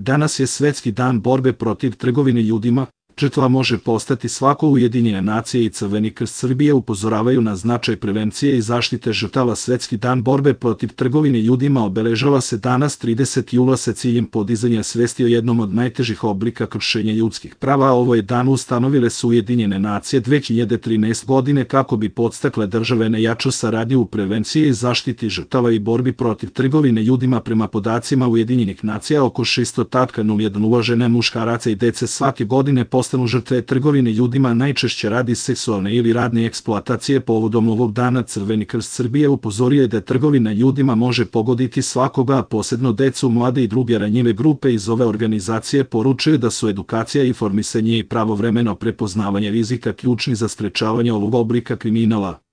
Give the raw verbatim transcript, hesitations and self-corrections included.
Danas je Svetski dan borbe protiv trgovine ljudima. Žrtva može postati svako. Ujedinjene nacije i Crveni krst Srbije upozoravaju na značaj prevencije i zaštite žrtava. Svetski dan borbe protiv trgovine ljudima obeležava se danas tridesetog jula sa ciljem podizanja svesti o jednom od najtežih oblika kršenja ljudskih prava. Ovo je dan ustanovile su Ujedinjene nacije dve hiljade trinaeste. godine kako bi podstakle države na jaču saradnju u prevenciji i zaštiti žrtava i borbi protiv trgovine ljudima. Prema podacima Ujedinjenih nacija, oko šesto zarez nula jedan uložene muškaraca i dece svake godine postanu žrtve trgovine ljudima, najčešće radi seksualne ili radne eksploatacije. Povodom ovog dana Crveni krst Srbije upozorio je da trgovina ljudima može pogoditi svakoga, a posebno decu, mlade i druge ranjive grupe. Iz ove organizacije poručuju da su edukacija, informisanje i pravovremeno prepoznavanje rizika ključni za sprečavanje ovog oblika kriminala.